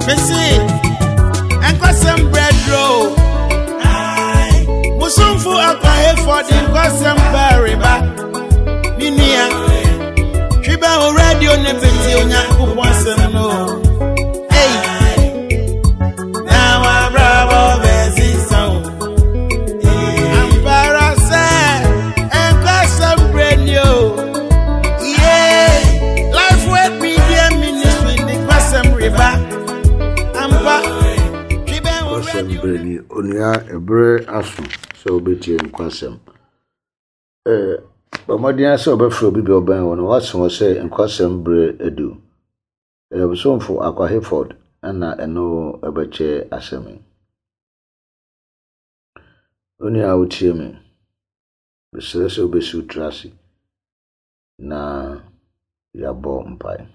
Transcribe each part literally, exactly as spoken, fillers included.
Mese, nkwasɛm brɛdro. Musumfo akwahefo de nkwasɛm bɛreba. Me nua, twi bɛ wo radio ne bɛti Onyankopɔn asɛm no. Ei, na wabrabɔ bɛsesa wo. Ampara sɛ nkwasɛm brɛ ni o. Yeah, Life Word Media Ministry de nkwasɛm reba. Ampa, twi bɛ wo Nkwasɛm radio. berɛ ni. Onua, ɛberɛ aso sɛ wobɛtie nkwasɛm. Ɛɛ, bɔ mmɔden ara sɛ wobɛfrɛ obi bi a ɔbɛn wo no, woaso hɔ sɛ nkwasɛm berɛ adu. Ɛyɛ Ɔbosomfo Akwa Hayford ɛna ɛno ɛbɛkyɛ asɛm yi. Onua a wotie me, mesrɛ sɛ wobɛsi wo tiri ase na yɛabɔ mpae.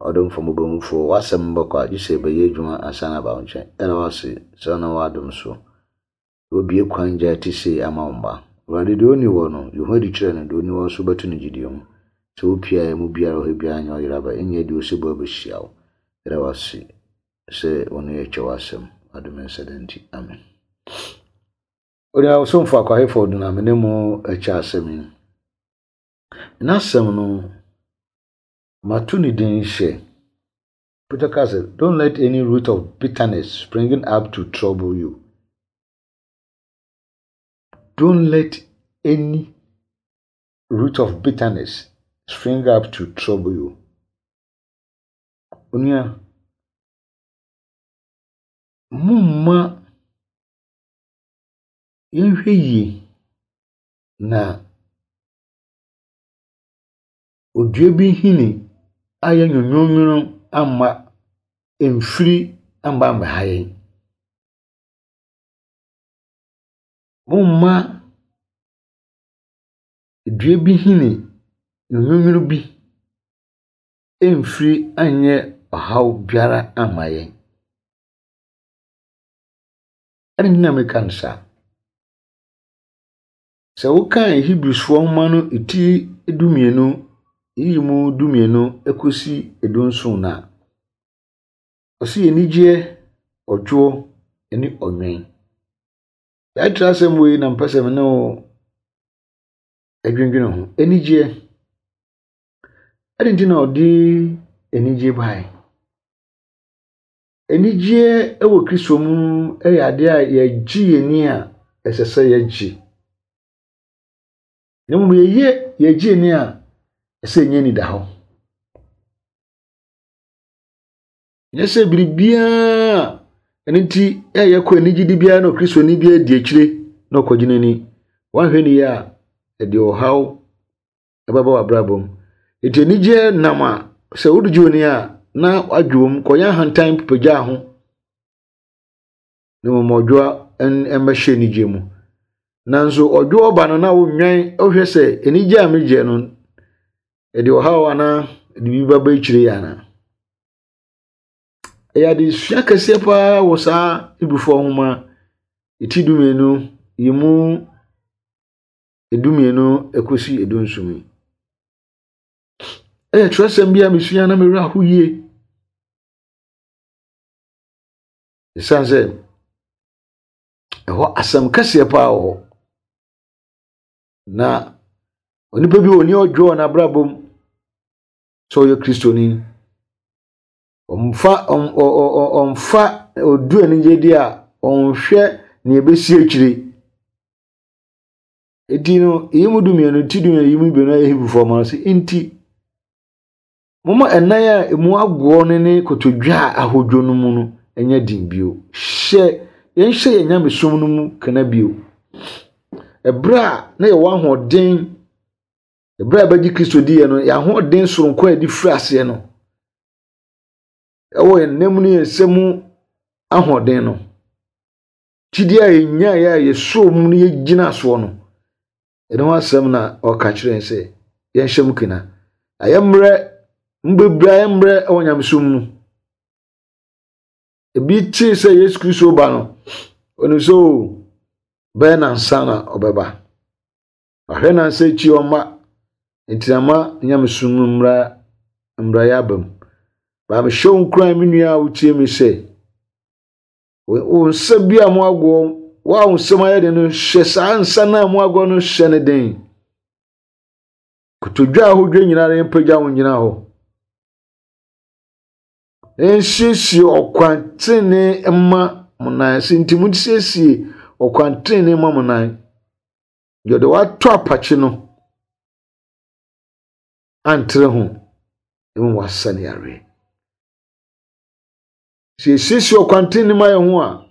Ɔdomfo mmɔborɔhunufoɔ, w'asɛm bɛkɔ a gye sɛ ɛbɛyɛ adwuma ansa na aba wo nkyɛn. Ɛda wo ase sɛ wonam w'adom so wobue kwan gya ti sei ama wo mma. Awurade, deɛ ɔnni hɔ no, yi ho adi kyerɛ no, deɛ ɔnni hɔ nso bɛto no gyidie mu. Sɛ wopie a ɛmu biara wɔ hɔ biara nyɛ ɔyera ba, ɛnyɛ deɛ ɔsɛ bɔ abɛhyia wo. Ɛda wo ase sɛ wo ne yɛkyɛ w'asɛm. Adom nsa da nti, amen. Onua Ɔsomfo Akwa Hayford na me ne mo kyɛ asɛm yi. N'asɛm no, mato ne din hyɛ. Peter ka sɛ, "Don't let any root of bitterness springing up to trouble you." Don't let any root of bitterness spring up to trouble you. Onua, momma yɛnhwɛ yie na odua bi nhini ayɛ nwonwonwono amma mfiri amba ammɛha yɛn. Momma dua bi nhini nwonwonwono bi mfiri anyɛ ɔhaw biara amma yɛn. Ɛne nti na meka no saa. Sɛ wokan Hebrewsfoɔ nwoma no ti dumienu, yiyi mu dumienu kɔsi dunson no a, ɔse anigyeɛ, ɔdwoɔ ne ɔnwɛn. Saa twerɛ asɛm wei na mpɛ sɛ me ne wo adwendwene ho. Anigyeɛ. Ɛde nti na ɔde anigyeɛ baeɛ? Anigyeɛ wɔ Kristo mu yɛ adeɛ a yɛgye yɛn ani a ɛsɛ sɛ yɛgye. Na mmom yɛyɛ yɛgye ani a ɛsɛ ɛnyɛ anida hɔ. Nyɛ sɛ biribiara ɛno nti ɛyɛ kɔ anigyede biara na Kristoni bi adi akyire na ɔkɔgye n'ani. Woanhwɛ ne yie a, ɛde ɔhaw ɛbɛba w'abrabɔ mu. Nti anigyeɛ nam a sɛ wode gye w'ani a na wadwo wɔ kɔyɛ ahantan pagyaa ho na mmom ɔdwoa mmɛhyɛ anigyeɛ mu. Nanso ɔdwoɔ ba no na wonwɛn wohwɛ sɛ anigyeɛ a megyeɛ no ɛde ɔhaw anaa ɛde biribi bɛba akyire yɛ anaa. Ɛyɛ adesua kɛseɛ paa wɔ saa Hebrifoɔ nwoma ti dumienu yi mu edumienu ekosi edunson yi. Ɛyɛ twerɛsɛm bi a mesua na mewerɛ aho yie. Ɛsiane sɛ ɛhɔ asɛm kɛseɛ paa wɔ hɔ. Na onipa bi wɔ ni ɔdwo wɔ n'abrabɔ mu sɛ ɔyɛ Kristoni. Ɔmfa ɔmfa odu anigye di a ɔnhwɛ nea ebesi akyire. Eti no, iyi mu dumienu ti dumienu yi mu dumienu ayɛ Hebrifoɔ ma no sɛ nti momma ɛnan a emu agoɔ no ne kotodwe a ahodwo no mu no nyɛ den bio. Hyɛ yɛnhyɛ yɛn nyamesom no mu kana bio. Ɛberɛ a na yɛwɔ ahoɔden, ɛberɛ a yɛbɛgye Kristo diiɛ no, yɛn ahoɔden soronko a yɛde firi aseɛ no, ɛwɔ yɛn nam ne yɛn nsa mu ahoɔden no, gyidie a yɛnyaeɛ a yɛsɔɔ mu no yɛgyina soɔ no, ɛno ho asɛm na ɔka kyerɛ yɛn sɛ yɛnhyɛ mu kena. Ayɛ mmerɛ, mbebree ayɛ mmerɛ wɔ nyamesom mu. Ebi tee sɛ Yesu Kristo ba no, onim sɛ o bɛyɛ nansa na ɔbɛba. Wahwɛ nansa akyi ɔmma, nti ama nyamesom mu mmra mmerɛyɛ aba mu. Baa mehyɛ wo nkuran me nua a wotie me sɛ wo nsa bi a mo agoɔ wo a wo nsɛm ayɛ den no hyɛ saa nsa no a mo agoɔ no hyɛ ne den. Kotodwe a ahodwe nyinaa yɛmpagya wo nyina hɔ. Nsiesie ɔkwan tenenee mma mo nan ase nti monsiesie ɔkwan tenenee mma mo nan. Deɛ ɔde wato apakye no antere ho mmom wasa ne yareɛ. Sɛ yɛsiesie ɔkwan tenenee ma yɛn ho a,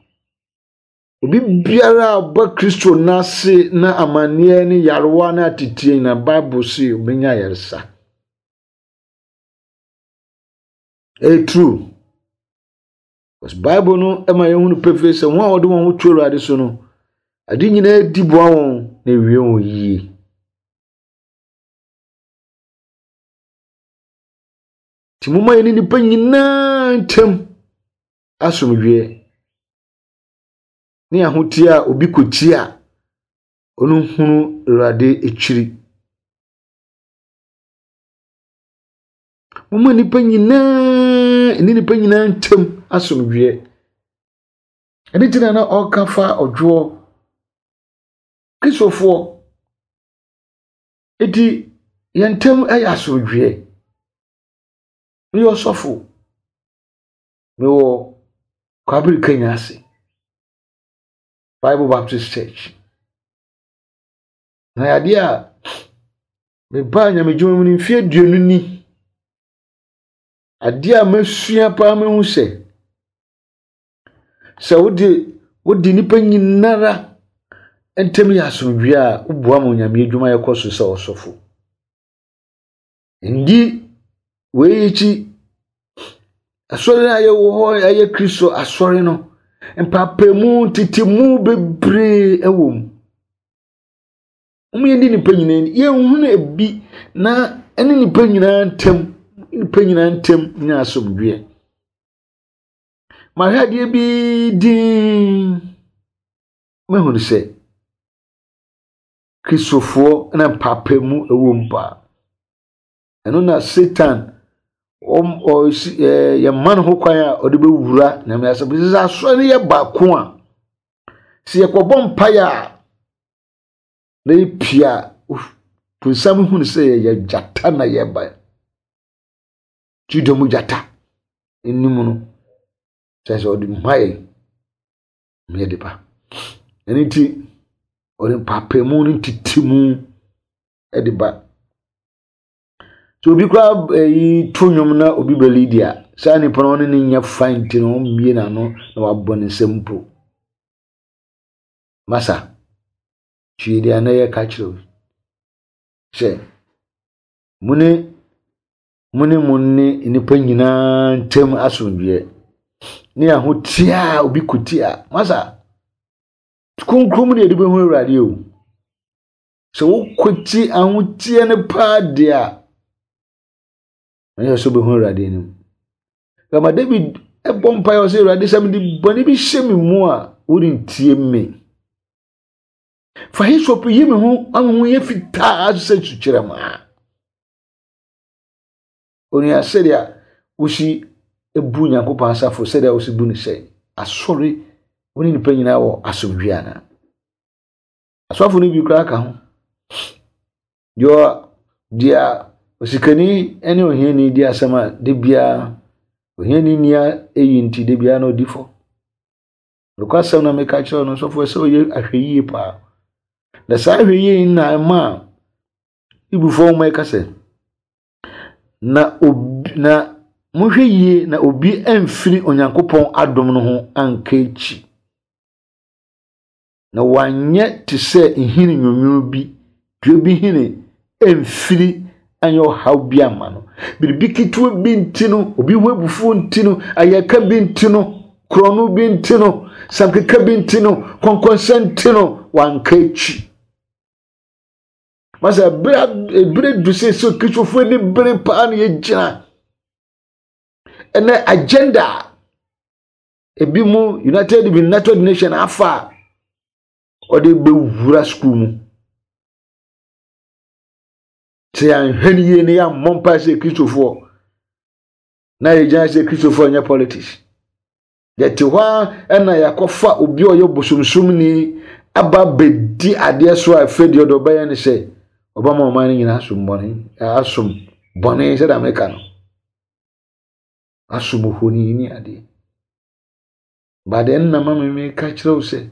obi biara a ɔba Kristo n'ase na amanneɛ ne yarewa ne atetie nyinaa Bible se obɛnya ayaresa. Ɛyɛ true. Because Bible no ma yɛhunu pefee sɛ wɔn a wɔde wɔn ho to Awurade so no, ade nyinaa di boa wɔn na ewie wɔn yie. Nti momma yɛne nnipa nyinaa ntam asomdwoeɛ ne ahoteɛ a obi kɔtie a ɔno hunu Awurade akyiri. Momma nnipa nyinaa ne nnipa nyinaa ntam asomdwoeɛ. Ɛno nti na na ɔreka fa ɔdwoɔ Kristofoɔ. Eti yɛn ntam yɛ asomdwoeɛ. Meyɛ ɔsɔfo. Mewɔ Kwabere Kenya ase. Bible Baptist Church. Na adeɛ a mebaa nyamedwuma mu no mfeɛ aduonu ni. Adeɛ a masua paa mahu sɛ sɛ wode wode nnipa nyinara ntam yɛ asomdwoeɛ a woboa ma onyame adwuma yɛkɔ so sɛ ɔsɔfo. Ndi wei akyi asɔre a yɛwɔ hɔ ɛyɛ Kristo asɔre no mpaapaemu ntetemu bebree ɛwɔ mu. Wɔn yɛn di nipa nyinaa ni yɛnhunu ebi na ɛne nipa nyinaa ntam nipa nyinaa ntam nyɛ asomdwoeɛ. Mahwɛ adeɛ bi din mahunu sɛ Kristofoɔ na mpaapaemu ɛwɔ mu paa. Ɛno na Satan wɔn ɔsi ɛɛ yɛma no ho kwan a ɔde bɛwura nyame asɛm. Sɛ asɔre no yɛ baako a sɛ yɛkɔbɔ mpaeɛ a na yɛpia bonsam hunu sɛ yɛyɛ gyata na yɛba. Juda mu gyata anim no kyerɛ sɛ ɔde mma yɛn ma yɛde ba. Ɛno nti ɔde mpaapaemu ne ntetemu de ba. Sɛ obi koraa ɛyi to nnwom na obi bɛlidi a saa nipa no ɔne ne nyɛ fine nti no ɔmmie n'ano na wabɔ ne nsam mpo. Masa, tie deɛ na yɛka kyerɛ wo sɛ mo ne mo ne mo ne nnipa nyinaa ntam asomdwoeɛ ne ahoteɛ a obi kɔtie a masa kronkron mu na yɛde bɛhu Awurade o. Sɛ wokɔtie ahoteɛ no paa deɛ a ɛnyɛ sɛ wobɛhu Awurade anim. Kama David ɛbɔ mpaeɛ ɔsɛ Awurade sɛ mede bɔne bi hyɛ me mu a worentie me. Fa hyssop yi me ho ama ho yɛ fitaa sɛ sukyerɛma. Onua sɛdeɛ wosi ebu Nyankopɔn asafo sɛdeɛ wosi bu no sɛ asɔre wo ne nipa nyinaa wɔ asomdwoeɛ anaa. Asɔfo no bi koraa ka ho. Deɛ deɛ osikani ne ohiani di asɛm a de biara ohiani nia eyi nti de biara na odi fɔ. Nokwasɛm na meka kyerɛ no sɔfo sɛ ɔyɛ ahwɛyie paa. Na saa ahwɛyie yi na ɛma a Ibufoɔ nwoma yi ka sɛ na obi na monhwɛ yie na obi amfiri Onyankopɔn adom no ho anka akyi. Na wanyɛ te sɛ nhini nwonwono bi, dua bi hini amfiri anyɛ ɔhaw bi ama no. Biribi ketewa bi nti no, obi ho abufuo nti no, ayɛka bi nti no, korɔno bi nti no, sankeka bi nti no, kɔnkɔnsa nti no, wanka akyi. Masa ebere ebere du sɛ sɛ Kristofoɔ ani bere paa na yɛgyina. Ɛnɛ agenda a ebi mu United United Nation afa a ɔde bɛwura sukuu mu. Sɛ yɛanhwɛ no yie na yɛammɔ mpae sɛ Kristofoɔ Na yɛgyina sɛ Kristofoɔ nyɛ politics. Yɛte hɔ a ɛna yɛakɔfa obi a ɔyɛ bosomsomni aba bɛdi adeɛ so a afei deɛ ɔde ɔbɛyɛ ne sɛ ɔbɛma ɔman no nyinaa asom bɔne, asom bɔne sɛdeɛ meka no. Asom ohoni ne adeɛ. But ɛnna ma me meka kyerɛ wo sɛ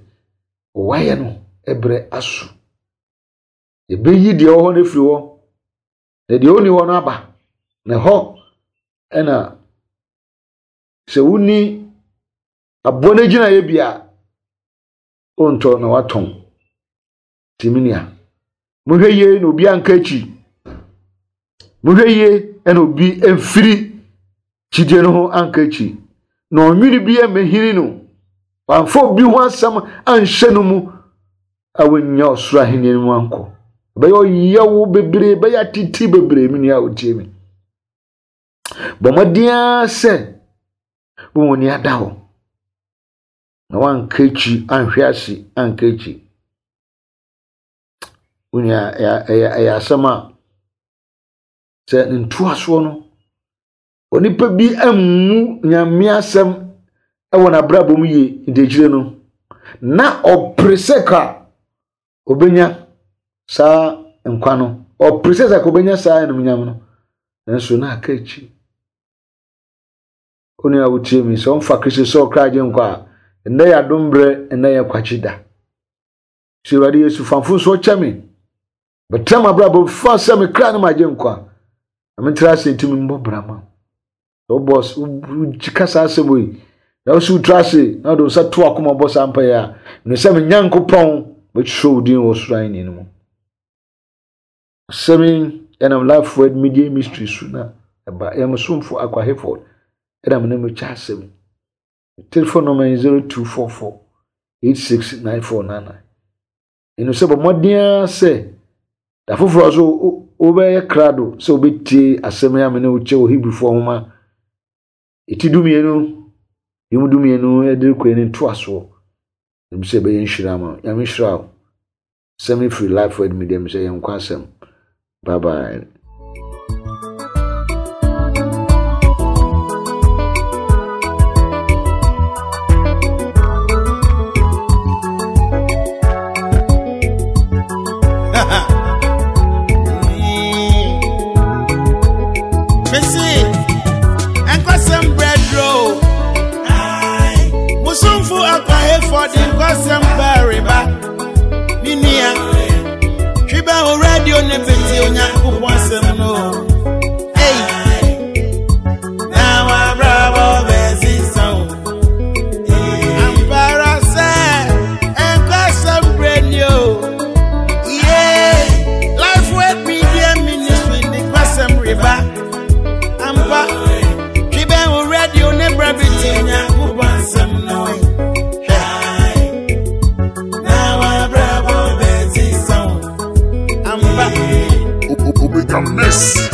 ɔwayɛ no ɛbrɛ aso. Yɛbɛyi deɛ ɔwɔ hɔ no afiri hɔ, na deɛ ɔnni hɔ no aba. Na ɛhɔ ɛna sɛ wonni aboa no gyinaeɛ bi a wontɔ na watɔn. Nti me nua, mohwɛ yie na obi anka akyi. Mohwɛ yie na obi mfiri kyidie no ho anka akyi. Na ɔnwene bi mmɛhini no. Wamfa obi ho asɛm anhyɛ no mu a wɔnya ɔsoro ahenni no mu ankɔ. Ɛbɛyɛ ɔyawo bebree, ɛbɛyɛ atete bebree, me nua a wotie me. Bɔ mmɔden ara sɛ wɔn ani ada hɔ. Na wanka akyi, anhwɛ ase, anka akyi. Wo nua, ɛyɛ ɛyɛ asɛm a sɛ ne ntoasoɔ no, onipa bi ammu Nyame asɛm ɛwɔ n'abrabɔ mu yie nti akyire no, na ɔpere sɛ ka obenya saa nkwa no, ɔpere sɛ ka obenya saa animuonyam no, nanso na aka akyi. Wo nua a wotie mi, sɛ ɔmfa Kristo sɛ ɔkra agye nkwa a, ɛnnɛ yɛ adom berɛ, ɛnnɛ yɛ kwakye da. Sɛ Awurade Yesu fa mfomsoɔ kyɛ me, bɛtena m'abrabɔ fa sɛ me kra ne m'agye nkwa, na mentra ase ntumi mmɔ bra ma wo. Wobɔ wogye saa asɛm yi, na wo so wotra ase na wode wo nsa to akoma bɔ saa mpaeɛ a, mene sɛ me Nyankopɔn bɛtwerɛ wo din wɔ soro ahenni no mu. Asɛm yi ɛnam Life Word Media Ministry so na ɛba. Ɛyɛ mo somfo Akwa Hayford ɛna me ne mo kyɛ asɛm yi. Telephone number yɛ zero two four four eight six nine four nine nine. Ɛnu sɛ bɔ mmɔden ara sɛ da foforɔ so wobɛyɛ krado sɛ wobɛtie asɛm yi a me ne wo kyɛ wɔ Hebrifoɔ nwoma eti dumienu, emu dumienu ɛde rekɔ ne ntoasoɔ. Ɛmu sɛ ɛbɛyɛ nhyira ama wo. Nyame nhyira wo. Asɛm yi firi Life Word Media mu sɛ yɛn nkwa asɛm. Bye bye. Miss.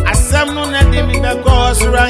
Asem no na di mi be go sura.